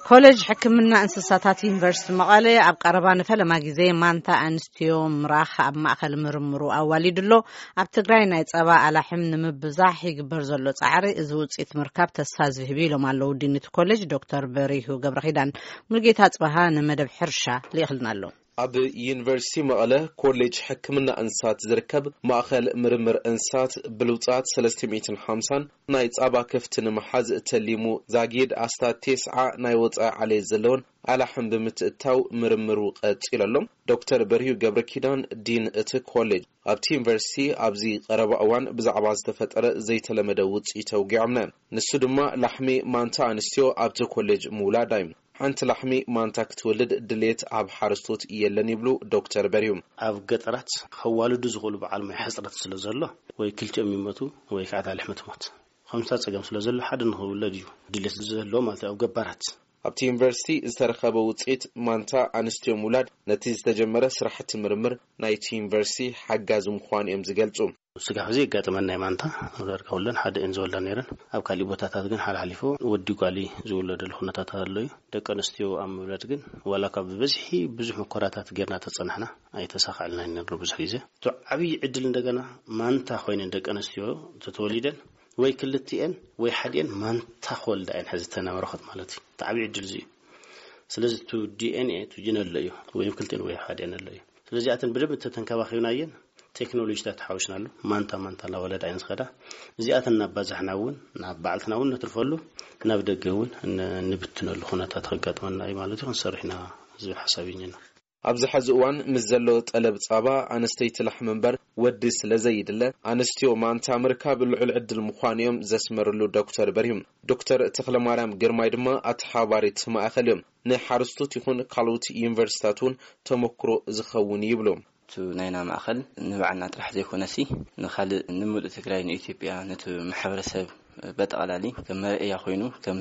ኮሌጅ ሕክምና እንስሳታት ዩኒቨርሲቲ መቐለ ኣብ ቀረባ ንፈለማ ግዜ ማንታ ኣንስትዮ ምራኽ ኣብ ማእከል ምርምሩ ኣዋሊዱ ኣሎ። ኣብ ትግራይ ናይ ጸባ ኣላሕም ንምብዛሕ ይግበር ዘሎ ጻዕሪ እዚ ውጽኢት ምርካብ ተስፋ ዝህብ እዩ ኢሎም ኣለዉ ዲን እቲ ኮሌጅ ዶክተር በሪሁ ገብረኺዳን። ሙልጌታ ጽበሃ ንመደብ ሕርሻ ልኢኽልና ኣሎ። ኣብ ዩኒቨርሲቲ መቐለ ኮሌጅ ሕክምና እንስሳት ዝርከብ ማእኸል ምርምር እንስሳት ብልውፃት ሰለስተ ሚእትን ሓምሳን ናይ ፃባ ከፍቲ ንምሓዝ ተሊሙ ዛጊድ ኣስታት ቴስዓ ናይ ወፃኢ ዓሌት ዘለውን ኣላሕም ብምትእታው ምርምሩ ቀፂሉ ኣሎ። ዶክተር በርሂዩ ገብረ ኪዳን ዲን እቲ ኮሌጅ ኣብቲ ዩኒቨርሲቲ ኣብዚ ቀረባ እዋን ብዛዕባ ዝተፈጠረ ዘይተለመደ ውፅኢት ኣውጊዖምና። ንሱ ድማ ላሕሚ ማንታ ኣንስትዮ ኣብቲ ኮሌጅ ምውላዳ እዩ። ሓንቲ ላሕሚ ማንታ ክትወልድ ድሌት ኣብ ሓረስቶት የለን ይብሉ ዶክተር በርሂዩ። ኣብ ገጠራት ከዋልዱ ዝኽእሉ በዓል ሞያ ሕፅረት ስለ ዘሎ ወይ ክልቲኦም ይመቱ ወይ ከዓ እታ ላሕሚ ትሞት። ከምሳ ፀገም ስለ ዘሎ ሓደ ንኽውለድ እዩ ድሌት ዘሎ ማለት እዩ ኣብ ገባራት። ኣብቲ ዩኒቨርሲቲ ዝተረኸበ ውፅኢት ማንታ ኣንስትዮ ምውላድ ነቲ ዝተጀመረ ስራሕቲ ምርምር ናይቲ ዩኒቨርሲቲ ሓጋዚ ምዃኑ እዮም ዝገልፁ። ስጋብ ሕዚ የጋጥመን ናይ ማንታ ዳርጋ ኩለን ሓደ እየን ዝወልዳ ነይረን። ኣብ ካሊእ ቦታታት ግን ሓላሓሊፎ ወዲ ጓሊ ዝውለደሉ ኩነታት ኣሎ እዩ። ደቂ ኣንስትዮ ኣብ ምውላድ ግን ዋላ ካብ ብበዝሒ ብዙሕ ሙከራታት ጌርና ተጸናሕና ኣይተሳካዕልናን ነይሩ ብዙሕ ግዜ። እቲ ዓብዪ ዕድል እንደገና ማንታ ኮይነን ደቂ ኣንስትዮ ተተወሊደን ወይ ክልቲኤን ወይ ሓዲኤን ማንታ ክወልዳ እየን ሕዚ ተናበረኸት ማለት እዩ። እቲ ዓብዪ ዕድል እዚ እዩ። ስለዚ እቲ ዲ ኤን ኤ እቲ ጅን ኣሎ እዩ ወይ ክልቲኤን ወይ ሓዲኤን ኣሎ እዩ። ስለዚኣተን ብደንብ እንተተንከባኺብናየን ቴክኖሎጂታት ሓዊስናሉ ማንታ ማንታ እናወለዳ እየን ዝኸዳ። እዚኣተን እናባዛሕና እውን ናብ ባዕልትና እውን ነትርፈሉ ናብ ደገ እውን ን- ንብትነሉ ኩነታት ከጋጥመና እዩ ማለት እዩ። ክንሰርሕ ኢና ዝብል ሓሳብ እዩና። ኣብዚ ሐዚ እዋን ምስ ዘሎ ጠለብ ጻባ ኣነስተይቲ ላሕሚ እምበር ወዲ ስለ ዘይድለ ኣንስትዮ ማንታ ምርካብ ልዑል ዕድል ምዃኑ እዮም ዘስመርሉ ዶክተር በርሂም። ዶክተር ተኽለማርያም ግርማይ ድማ ኣተሓባሪት ማእኸል እዮም። ንሓረስቶት ይኹን ካልኦት ዩኒቨርሲታት እውን ተመክሮ ዝኸውን ይብሉ። እቲ ናይና ማእኸል ንባዕልና ጥራሕ ዘይኮነሲ ንኻልእ ንምሉእ ትግራይ ንኢትዮጵያ ነቲ ማሕበረሰብ በጠቓላሊ ከም መርኣያ ኮይኑ ከም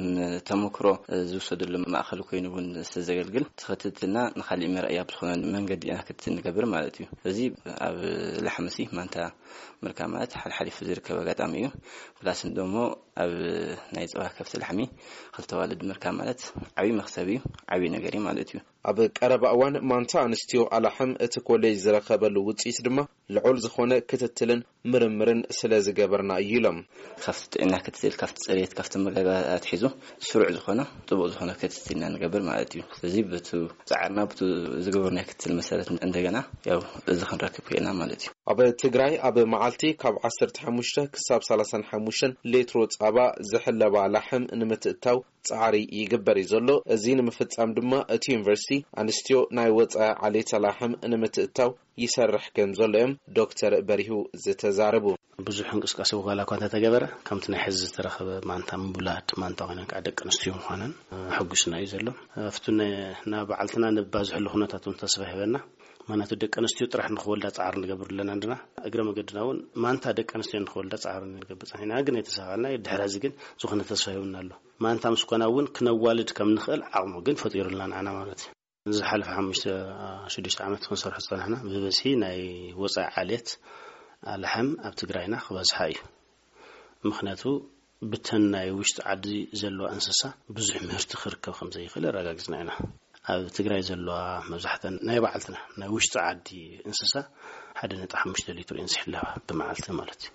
ተመክሮ ዝውሰደሉ ማእኸል ኮይኑ እውን ስለዘገልግል ትኽትትና ንኻሊእ መርኣያ ብዝኾነ መንገዲ ኢና ክትትል ንገብር ማለት እዩ። እዚ ኣብ ላሕምሲ ማንታ ምርካ ማለት ሓልሓሊፉ ዝርከብ ኣጋጣሚ እዩ። ፕላስ ደሞ ኣብ ናይ ፀባ ከፍቲ ላሕሚ ክልተ ዋልድ ምርካ ማለት ዓብዪ መክሰብ እዩ፣ ዓብዪ ነገር እዩ ማለት እዩ። ኣብ ቀረባ እዋን ማንታ ኣንስትዮ ኣላሕም እቲ ኮሌጅ ዝረኸበሉ ውፅኢት ድማ ልዑል ዝኾነ ክትትልን ምርምርን ስለ ዝገበርና እዩ ኢሎም። ካብቲ ጥዕና ክትትል ካብቲ ፅሬት ካብቲ መጋጋ ኣትሒዙ ስሩዕ ዝኾነ ጥቡቕ ዝኾነ ክትትልና ንገብር ማለት እዩ። ስለዚ ብቱ ፃዕርና ብቱ ዝገበርና ክትትል መሰረት እንደገና ያው እዚ ክንረክብ ክእልና ማለት እዩ። ኣብ ትግራይ ኣብ መዓልቲ ካብ ዓሰርተ ሓሙሽተ ክሳብ ሰላሳን ሓሙሽተን ሌትሮ ፃባ ዝሕለባ ላሕም ንምትእታው ፃዕሪ ይግበር እዩ ዘሎ። እዚ ንምፍፃም ድማ እቲ ዩኒቨርሲቲ ኣንስትዮ ናይ ወፃኢ ዓሌት ላሕም ንምትእታው ይሰርሕ ከም ዘሎ እዮም ዶክተር በሪሁ ዝተዛረቡ። ብዙሕ እንቅስቃሴ ዋላ እኳ እንተተገበረ ከምቲ ናይ ሕዚ ዝተረኸበ ማንታ ምውላድ ማንታ ኮይነን ከዓ ደቂ ኣንስትዮ ምዃነን ሕጉስና እዩ ዘሎ። ኣብቲ ናብ ባዕልትና ንባዝሕሉ ኩነታት እውን ተስፋ ይህበና። ምክንያቱ ደቂ ኣንስትዮ ጥራሕ ንክወልዳ ፃዕሪ ንገብር ኣለና እንድና እግረ መገድና እውን ማንታ ደቂ ኣንስትዮ ንክወልዳ ፃዕሪ ንገብር ፀኒሕና ግን ኣይተሳካልና። ድሕሪ እዚ ግን ዝኾነ ተስፋ ይህብና ኣሎ። ማንታ ምስ ኮና እውን ክነዋልድ ከም ንኽእል ዓቕሙ ግን ፈጢሩልና ንዓና ማለት እዩ። ዝሓለፈ ሓሙሽተ ሽዱሽተ ዓመት ክንሰርሖ ዝፀናሕና ብበዝሒ ናይ ወፃኢ ዓሌት ኣላሕም ኣብ ትግራይና ክበዝሓ እዩ። ምክንያቱ ብተን ናይ ውሽጢ ዓዲ ዘለዋ እንስሳ ብዙሕ ምህርቲ ክርከብ ከም ዘይኽእል ኣረጋጊፅና ኢና። ኣብ ትግራይ ዘለዋ መብዛሕተን ናይ ባዕልትና ናይ ውሽጢ ዓዲ እንስሳ ሓደ ነጥቢ ሓሙሽተ ሊትር እየን ዝሕለባ ብመዓልቲ ማለት እዩ።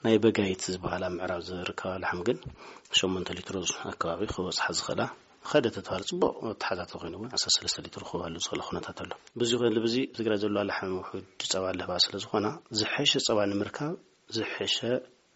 ናይ በጋይት ዝበሃላ ምዕራብ ዝርከባ ላሕም ግን ሸሞንተ ሊትሮ ኣከባቢ ክበፅሓ ዝኽእላ ኸደ ተተባለ ፅቡቕ ተሓታተ ኮይኑ እውን ዓሰርተ ሰለስተ ሊትሮ ክህባሉ ዝኽእል ኩነታት ኣሎ። ብዙ ይኹን ልብዚ ትግራይ ዘለዋ ላሕም ውሑድ ፀባ ኣለባ ስለ ዝኾና ዝሐሸ ፀባ ንምርካብ ዝሐሸ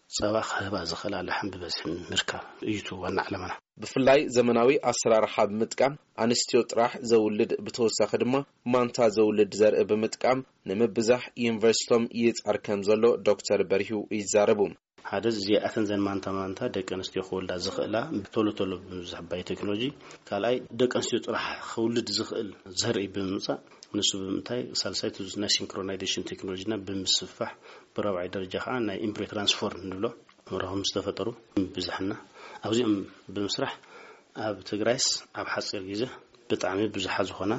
ፀባ ክህባ ዝኽእላ ላሕም ብበዝሒ ምርካብ እዩ እቲ ዋና ዓላማና። ብፍላይ ዘመናዊ ኣሰራርሓ ብምጥቃም ኣንስትዮ ጥራሕ ዘውልድ ብተወሳኺ ድማ ማንታ ዘውልድ ዘርኢ ብምጥቃም ንምብዛሕ ዩኒቨርሲቶም ይፅዕር ከም ዘሎ ዶክተር በሪሁ ይዛረቡ። ሓደ እዚኣተን ዘን ማንታ ማንታ ደቂ ኣንስትዮ ክወልዳ ዝኽእላ ቶሎ ቶሎ ብምብዛሕ ባይ ቴክኖሎጂ፣ ካልኣይ ደቂ ኣንስትዮ ጥራሕ ክውልድ ዝኽእል ዘርኢ ብምምፃእ ንሱ ብምንታይ ሳልሳይ እቲ ናይ ሲንክሮናይዜሽን ቴክኖሎጂና ብምስፍፋሕ ብራብዓይ ደረጃ ከዓ ናይ ኢምብሪዮ ትራንስፎር ንብሎ መራኽብ ዝተፈጠሩ ብዝሕና ኣብዚኦም ብምስራሕ ኣብ ትግራይስ ኣብ ሓፂር ግዜ ብጣዕሚ ብዙሓ ዝኾና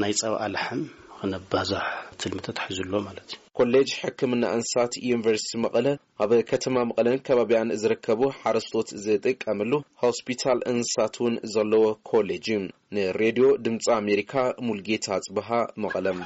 ናይ ፀባ ኣላሕም ክነባዛሕ ትልሚ ተታሒዙ ኣሎ ማለት እዩ። ኮሌጅ ሕክምና እንስሳት ዩኒቨርሲቲ መቐለ ኣብ ከተማ መቐለን ከባቢያን ዝርከቡ ሓረስቶት ዝጥቀምሉ ሆስፒታል እንስሳት እውን ዘለዎ ኮሌጅ እዩ። ንሬድዮ ድምፂ ኣሜሪካ ሙልጌታ ኣፅበሃ መቐለም።